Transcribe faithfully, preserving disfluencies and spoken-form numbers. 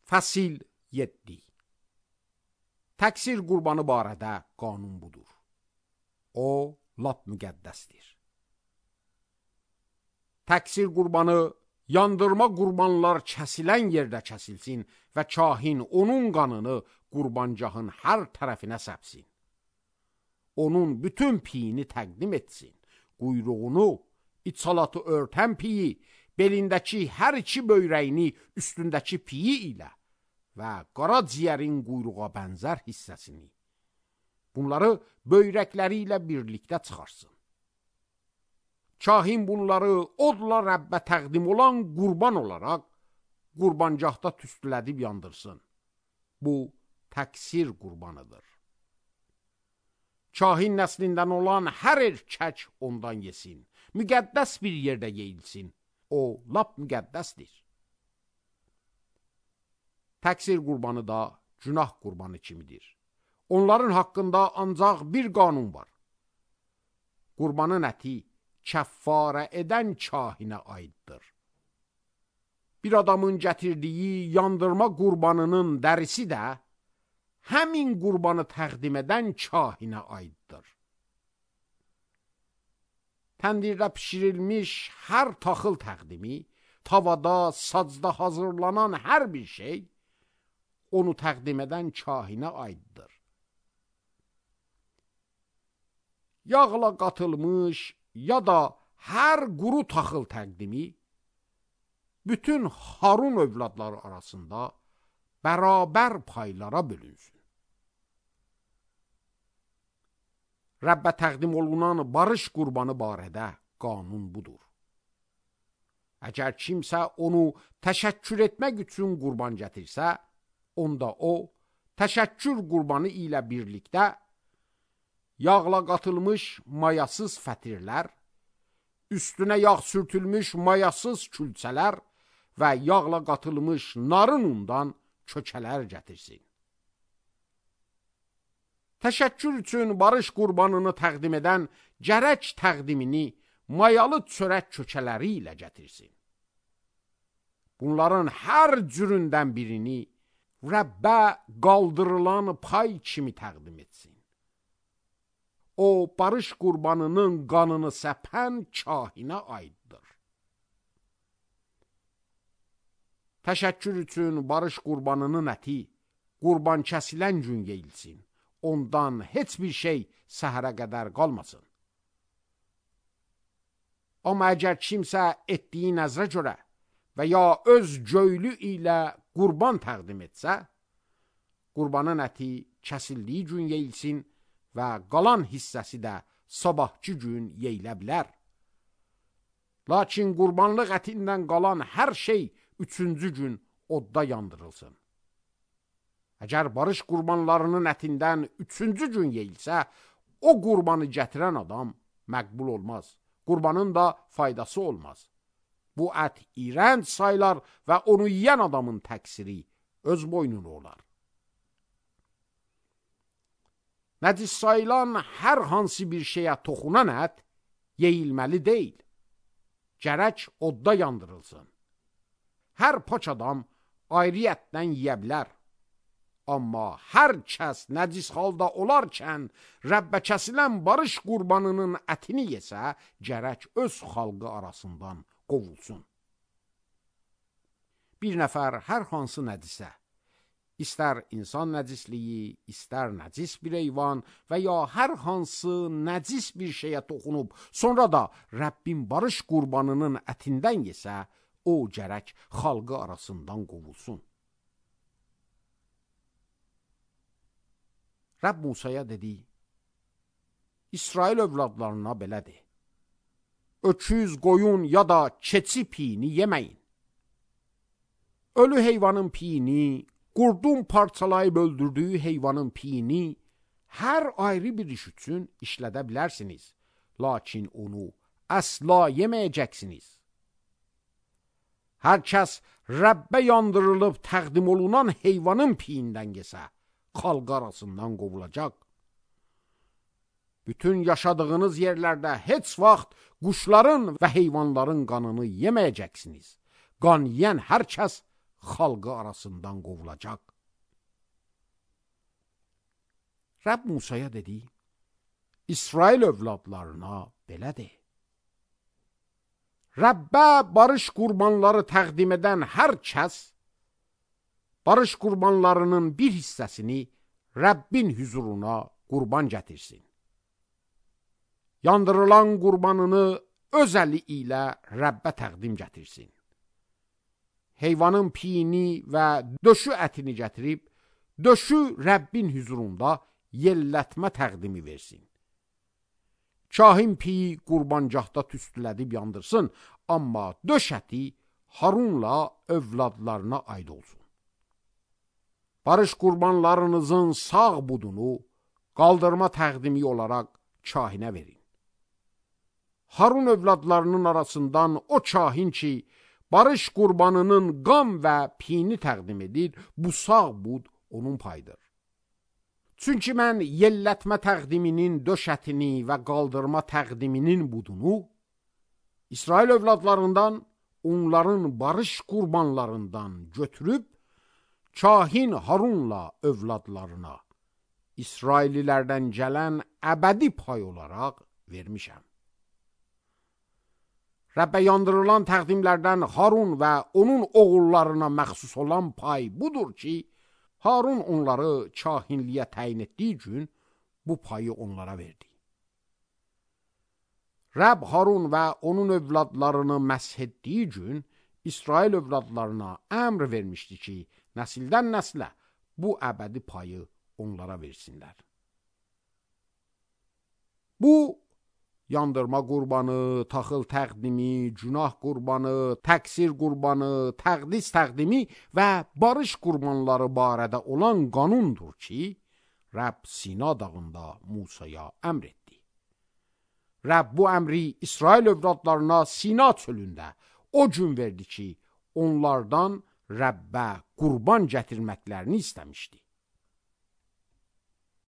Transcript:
Fəsil yeddi. Təksir qurbanı barədə qanun budur. O, lap müqəddəsdir. Təksir qurbanı, yandırma qurbanlar kəsilən yerdə kəsilsin və kahin onun qanını qurbancahın hər tərəfinə səpsin. Onun bütün piyini təqdim etsin. Quyruğunu, içalatı örtən piyi, belindəki hər iki böyrəyini üstündəki piyi ilə və qara ciyərin quyruğa bənzər hissəsini. Bunları böyrəkləri ilə birlikdə çıxarsın. Kahin bunları odla Rəbbə təqdim olan qurban olaraq qurbancahda tüstülədib yandırsın. Bu, təksir qurbanıdır. Kahin nəslindən olan hər erkək ondan yesin. Müqəddəs bir yerdə yeyilsin. O, lap müqəddəsdir. Təksir qurbanı da günah qurbanı kimidir. Onların haqqında ancaq bir qanun var. Qurbanın əti kəffarə edən kahinə aiddir. Bir adamın gətirdiyi yandırma qurbanının dərisi də həmin qurbanı təqdim edən kahinə aiddir. Təndirdə pişirilmiş hər taxıl təqdimi, tavada, sacda hazırlanan hər bir şey, onu təqdim edən kahinə aiddir. Yağla qatılmış ya da hər quru taxıl təqdimi, bütün Harun övladları arasında bərabər paylara bölünsün. Rəbbə təqdim olunan barış qurbanı barədə qanun budur. Əgər kimsə onu təşəkkür etmək üçün qurban gətirsə, onda o, təşəkkür qurbanı ilə birlikdə yağla qatılmış mayasız fətirlər, üstünə yağ sürtülmüş mayasız külçələr və yağla qatılmış narın undan kökələr gətirsin. Təşəkkür üçün barış qurbanını təqdim edən gərək təqdimini mayalı çörək kökələri ilə gətirsin. Bunların hər cüründən birini Rəbbə qaldırılan pay kimi təqdim etsin. O, barış qurbanının qanını səpən kahinə aiddir. Təşəkkür üçün barış qurbanının əti qurban kəsilən gün yeyilsin. Ondan heç bir şey səhərə qədər qalmasın. Amma əgər kimsə etdiyi nəzrə görə və ya öz göylü ilə qurban təqdim etsə, qurbanın əti kəsildiyi gün yeyilsin və qalan hissəsi də sabahki gün yeyilə bilər. Lakin qurbanlıq ətindən qalan hər şey üçüncü gün odda yandırılsın. Əgər barış qurbanlarının ətindən üçüncü gün yeyilsə, o qurbanı gətirən adam məqbul olmaz. Qurbanın da faydası olmaz. Bu ət iyrənc sayılar və onu yeyən adamın təqsiri öz boynuna olar. Nəcis sayılan hər hansı bir şeyə toxunan ət yeyilməli deyil. Gərək odda yandırılsın. Hər paç adam ayrı ətdən yeyə bilər. Amma hər kəs nəcis halda olarkən Rəbbə kəsilən barış qurbanının ətini yesə, gərək öz xalqı arasından qovulsun. Bir nəfər hər hansı nəcisə, istər insan nəcisliyi, istər nəcis bir heyvan və ya hər hansı nəcis bir şeyə toxunub, sonra da Rəbbin barış qurbanının ətindən yesə, o gərək xalqı arasından qovulsun. Rəbb Musaya dedi, İsrail övladlarına belədir. Öküz, qoyun ya da keçi piyini yeməyin. Ölü heyvanın piyini, qurdun parçalayıb öldürdüyü heyvanın piyini hər ayrı bir iş üçün işlədə bilərsiniz. Lakin onu əsla yeməyəcəksiniz. Hər kəs Rəbbə yandırılıb təqdim olunan heyvanın piyindən yesə, xalq arasından qovulacaq. Bütün yaşadığınız yerlərdə heç vaxt quşların və heyvanların qanını yeməyəcəksiniz. Qan yeyən hər kəs xalqı arasından qovulacaq. Rəbb Musaya dedi, İsrail övladlarına belə de. Rəbbə barış qurbanları təqdim edən hər kəs, barış qurbanlarının bir hissəsini Rəbbin huzuruna qurban gətirsin. Yandırılan qurbanını öz əli ilə Rəbbə təqdim gətirsin. Heyvanın piyini və döşü ətini gətirib, döşü Rəbbin huzurunda yellətmə təqdimi versin. Kahin piyi qurbancaqda tüstülədib yandırsın, amma döş əti Harunla övladlarına aid olsun. Barış qurbanlarınızın sağ budunu qaldırma təqdimi olaraq kahinə verin. Harun övladlarının arasından o kahin ki, barış qurbanının qan və piyini təqdim edir, bu sağ bud onun payıdır. Çünki mən yellətmə təqdiminin döş ətini və qaldırma təqdiminin budunu İsrail övladlarından, onların barış qurbanlarından götürüb, kahin Harunla övladlarına, İsraililərdən gələn əbədi pay olaraq vermişəm. Rəbbə yandırılan təqdimlərdən Harun və onun oğullarına məxsus olan pay budur ki, Harun onları kahinliyə təyin etdiyi gün bu payı onlara verdi. Rəbb Harun və onun övladlarını məsh etdiyi gün İsrail övladlarına əmr vermişdi ki, nəsildən nəslə bu əbədi payı onlara versinlər. Bu, yandırma qurbanı, taxıl təqdimi, günah qurbanı, təqsir qurbanı, təqdis təqdimi və barış qurbanları barədə olan qanundur ki, Rəbb Sina dağında Musaya əmr etdi. Rəbb bu əmri İsrail övladlarına Sina çölündə o gün verdi ki, onlardan Rəbbə qurban gətirməklərini istəmişdi.